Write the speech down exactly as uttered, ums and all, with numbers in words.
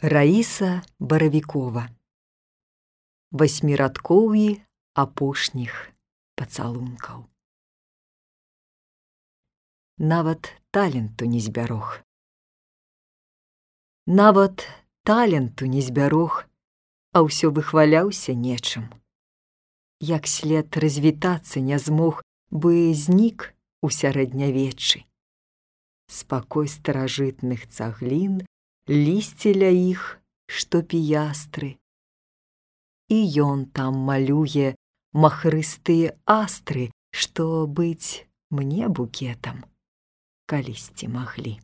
Раіса Баравікова. Васьмірадкоўі апошніх пацалункаў. Нават таленту не збярог. Нават таленту не збярог, а ўсё выхваляўся нечым. Як след развітацца не змог, бы знік у сярэднявеччы. Спакой старажытных цаглін, лісце ля іх, што піястры. І ён там малюе махрыстыя астры, што быць мне букетам калісьці маглі.